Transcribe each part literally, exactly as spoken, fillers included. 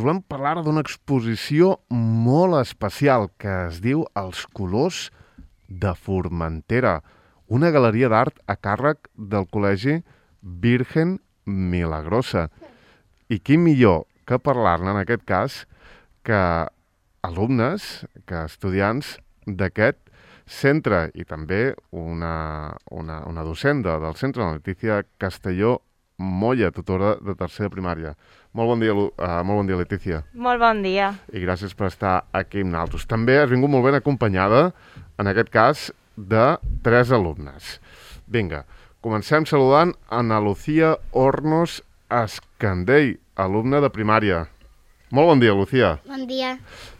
volem parlar d'una exposició molt especial que es diu Els colors de Formentera, una galeria d'art a càrrec del Col·legi Virgen Milagrosa. I qui millor que parlar-ne, en aquest cas, que alumnes, que estudiants d'aquest centre i també una, una, una docent del centre, la Letícia Castelló Molla, tutora de tercera primària. Molt bon dia, uh, molt bon dia, Letícia. Molt bon dia. I gràcies per estar aquí amb nosaltres. També has vingut molt ben acompanyada, en aquest cas, de tres alumnes. Vinga, comencem saludant Ana Lucía Hornos Escandell, alumna de primària. Molt bon dia, Lucía. Bon dia.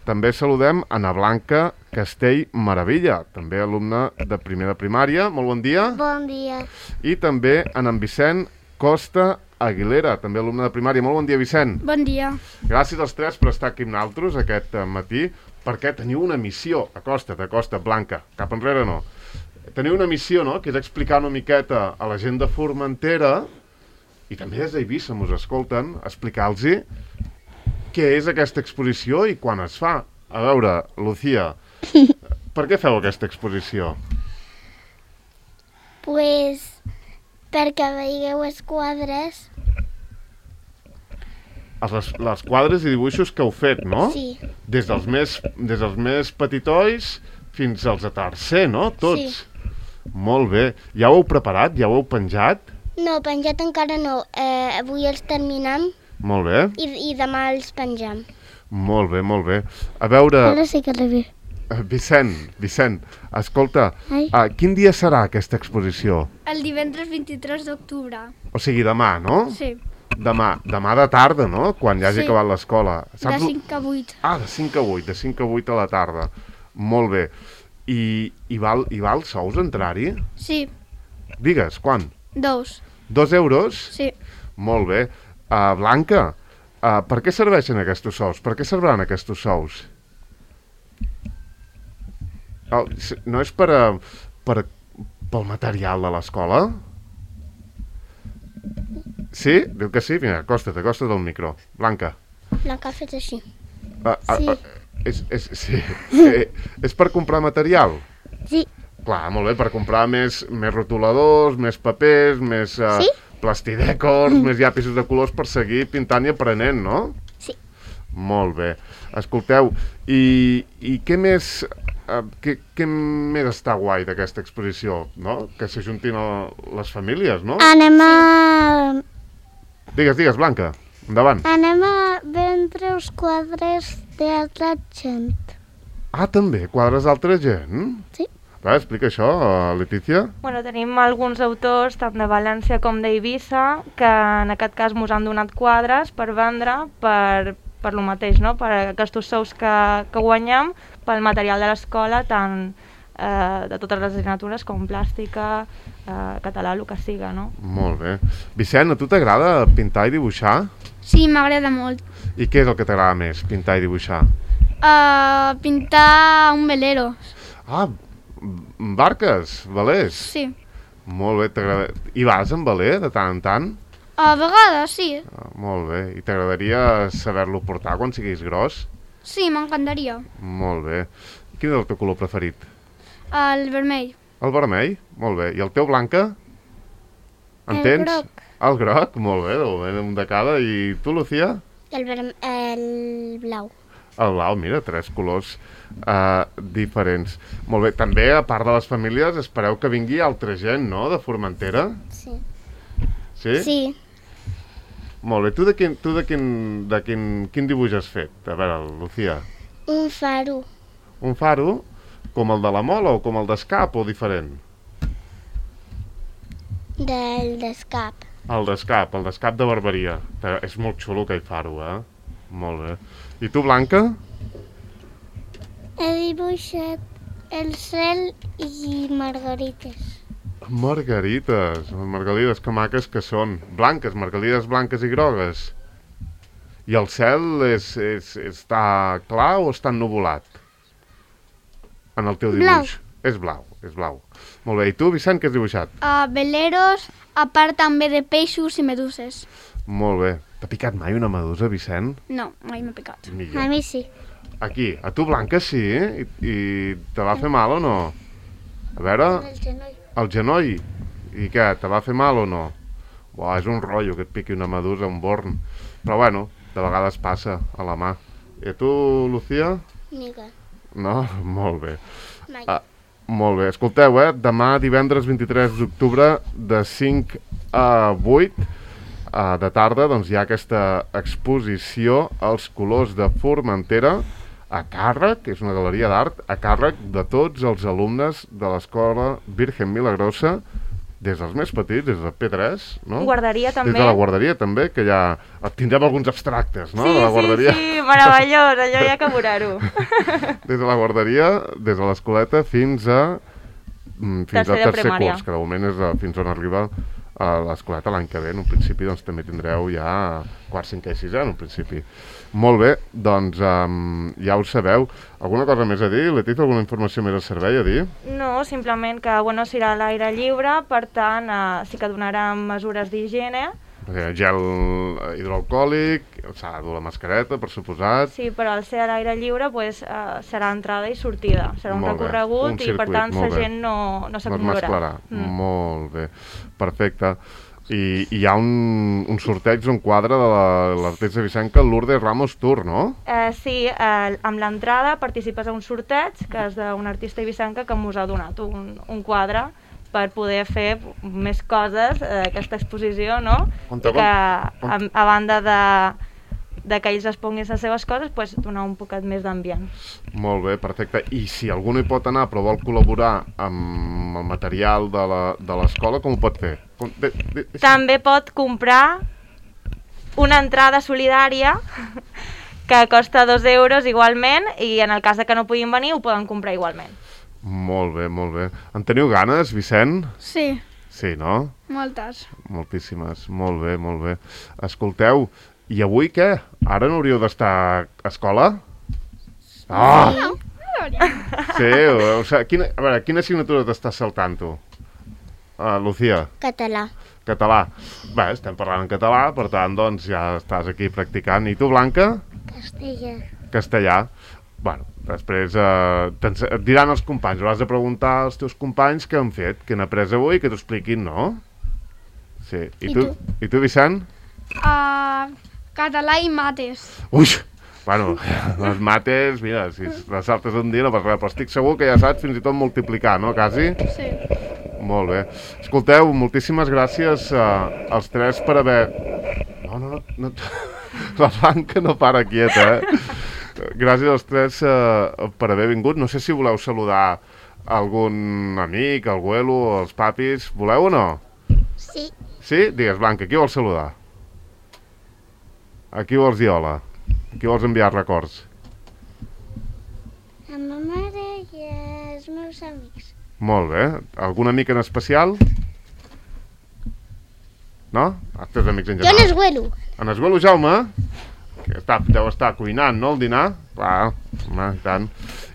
També saludem Ana Blanca Castell Maravilla, també alumna de primer de primària. Molt bon dia. Bon dia. I també en en Vicent Costa Aguilera, també alumne de primària. Molt bon dia, Vicent. Bon dia. Gràcies als tres per estar aquí amb nosaltres aquest matí, perquè teniu una missió. Acosta't, acosta't, Blanca, cap enrere no. Teniu una missió, no?, que és explicar una miqueta a la gent de Formentera, i també des d'Eivissa mos escolten, explicar-los què és aquesta exposició i quan es fa. A veure, Lucía, per què feu aquesta exposició? Pues perquè veieu els quadres. Les, les quadres i dibuixos que heu fet, no? Sí. Des dels més, des dels més petitolls fins als de tercer, no? Tots. Sí. Molt bé. Ja ho heu preparat? Ja ho heu penjat? No, penjat encara no. Eh, avui els terminem Molt bé. i, i demà els pengem. Molt bé, molt bé. A veure... Ara sí que arribi. Vicent, Vicent, escolta, Ai. uh, quin dia serà aquesta exposició? El divendres vint-i-tres d'octubre. O sigui, demà, no? Sí. Demà, demà de tarda, no? Quan ja hagi Sí. acabat l'escola. De cinc a vuit. Ah, de cinc a vuit, de cinc a vuit a la tarda. Molt bé. I, i, val, i val sous entrar-hi? Sí, Digues, quan? dos. Dos euros? Sí. Molt bé. Uh, Blanca, uh, per què serveixen aquests sous? Per què serviran aquests sous? Oh, no és per, a, per pel material de l'escola? Sí? Diu que sí? Vinga, acosta't, acosta't al micro. Blanca. Blanca ha fet així. Uh, uh, Sí. uh, és, és, sí. eh, és per comprar material? Sí. Clar, molt bé, per comprar més, més rotuladors, més papers, més uh, Sí? plastidècors, més llapisos de colors per seguir pintant i aprenent, no? Sí. Molt bé. Escolteu, i, i què més... Uh, què, què més està guai d'aquesta exposició, no? Que s'ajuntin a les famílies, no? Anem a... Digues, digues, Blanca, endavant. Anem a vendre els quadres d'altra gent. Ah, també, quadres d'altra gent? Sí. Va, explica això, Letícia. Bueno, tenim alguns autors, tant de València com d'Eivissa, que en aquest cas mos han donat quadres per vendre per, per lo mateix, no? Per aquests sous que, que guanyem, pel material de l'escola, tant eh, de totes les assignatures com plàstica, eh, català, el que siga, no? Molt bé. Vicent, a tu t'agrada pintar i dibuixar? Sí, m'agrada molt. I què és el que t'agrada més, pintar i dibuixar? Uh, pintar un velero. Ah, barques, velers. Sí. Molt bé, t'agrada... I vas amb veler de tant en tant? A vegades, sí. Ah, molt bé. I t'agradaria saber-lo portar quan siguis gros? Sí, m'encantaria. Molt bé. Quin és el teu color preferit? El vermell. El vermell? Molt bé. I el teu, Blanca? En El tens? groc. El groc? Molt bé, de moment un de cada. I tu, Lucía? El, verm... el blau. El blau, mira, tres colors uh, diferents. Molt bé. També, a part de les famílies, espereu que vingui altra gent, no?, de Formentera? Sí. Sí? Sí. Molt bé. Tu de quin, tu de quin, de quin, quin dibuix has fet? A veure, Lucía. Un faro. Un faro? Com el de la Mola o com el d'Escap o diferent? Del d'escap. El d'Escap, el d'Escap de Barberia. És molt xulo aquell faro, eh? Molt bé. I tu, Blanca? He dibuixat el cel i margarites. Margarites. Margarites, que maques que són. Blanques, margarites blanques i grogues. I el cel és, és, està clar o està ennuvolat? En el teu dibuix. Blau. És blau, és blau. Molt bé. I tu, Vicent, què has dibuixat? Uh, veleros, a part també de peixos i meduses. Molt bé. T'ha picat mai una medusa, Vicent? No, mai m'ha picat. A Millor. mi sí. Aquí, a tu, Blanca, sí? I, i te va fer mal o no? A veure, El genoll. el genoll. I què, te va fer mal o no? Buah, és un rotllo que et piqui una medusa, un born. Però bueno, de vegades passa a la mà. I a tu, Lucía? Mica. No? Molt bé. Mai. Ah, molt bé. Escolteu, eh? Demà, divendres vint-i-tres d'octubre, de cinc a vuit uh, de tarda, doncs hi ha aquesta exposició als colors de Formentera a càrrec, és una galeria d'art, a càrrec de tots els alumnes de l'escola Virgen Milagrosa, des dels més petits, des de P tres, no? Guarderia també. Des de la guarderia també, que ja tindrem alguns abstractes, no? Sí, de la sí, guarderia. sí, meravellós, allò hi ha que veure-ho. Des de la guarderia, des de l'escoleta, fins a mm, fins Tercer al de tercer primària. curs, que de moment és a, fins on arriba a l'escoleta l'any que ve. En un principi doncs, també tindreu ja quart, cinquè i sisè, en un principi. Molt bé, doncs um, ja ho sabeu. Alguna cosa més a dir? Letícia, alguna informació més a servei a dir? No, simplement que bueno, serà a l'aire lliure, per tant eh, sí que donaran mesures d'higiene. Perquè gel hidroalcohòlic, s'ha de dur la mascareta, per suposat. Sí, però al ser a l'aire lliure pues, eh, serà entrada i sortida. Serà un Molt bé, recorregut un i per circuit, tant molt la bé. gent no, no No es s'acumularà. mesclarà. Mm. Molt bé, perfecte. I, i hi ha un, un sorteig, un quadre de la- l'artista Vicenca, Lourdes Ramos Tour, no? Eh, sí, eh, amb l'entrada participes a un sorteig que és d'un artista ibicenca que mos ha donat un, un quadre per poder fer més coses d'aquesta exposició, no? On te I que on- a, a banda de, de que ells exponguin les seves coses, pues, donar un poquet més d'ambient. Molt bé, perfecte. I si algú no hi pot anar però vol col·laborar amb el material de la- de l'escola, com ho pot fer? Com, de, de, de, També pot comprar una entrada solidària que costa dos euros igualment i en el cas de que no puguin venir ho poden comprar igualment. Molt bé, molt bé. En teniu ganes, Vicent? Sí, Sí, no? moltes. Moltíssimes. Molt bé, molt bé. Escolteu, i avui què? Ara no hauríeu d'estar a escola? Ah! Sí, o, o sigui, quina, a veure, quina assignatura t'estàs saltant tu? Uh, Lucía? Català. Català. Bé, estem parlant en català, per tant, doncs ja estàs aquí practicant. I tu, Blanca? Castellà. Castellà. Bueno, després eh, et diran els companys, hauràs de preguntar als teus companys què han fet, què han après avui, que t'ho expliquin, no? Sí. I, I tu? tu? I tu, Vicent? Uh, català i mates. Ui! Bueno, les mates, mira, si les saltes un dia no passa res, però estic segur que ja saps fins i tot multiplicar, no, quasi? Sí. Molt bé. Escolteu, moltíssimes gràcies uh, als tres per haver... No, no, no, no... La Blanca no para quieta, eh? Gràcies als tres uh, per haver vingut. No sé si voleu saludar algun amic, el abuelo, els papis. Voleu o no? Sí. Sí? Digues, Blanca, qui vols saludar? A qui vols dir hola? A qui vols enviar records? A ma mare i als meus amics. Molt bé. Algun amic en especial? No? Els teus amics en Jo general. n'esguelo. En Esguelo Jaume, que està, deu estar cuinant, no, el dinar? Clar, home, i tant.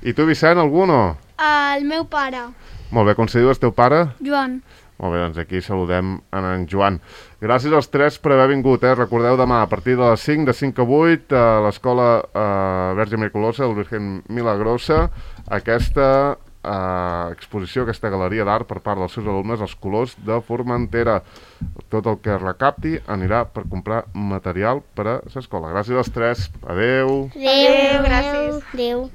I tu, Vicent, algú o no? El meu pare, Molt bé, com se diu el teu pare? Joan. Molt bé, doncs aquí saludem en en Joan. Gràcies als tres per haver vingut, eh? Recordeu demà a partir de les cinc, de cinc a vuit, a l'escola eh, Verge Miraculosa, el Virgen Milagrosa, aquesta eh, exposició, aquesta galeria d'art per part dels seus alumnes, els colors de Formentera. Tot el que recapti anirà per comprar material per a l'escola. Gràcies als tres. Adeu. Adéu, gràcies. Adéu.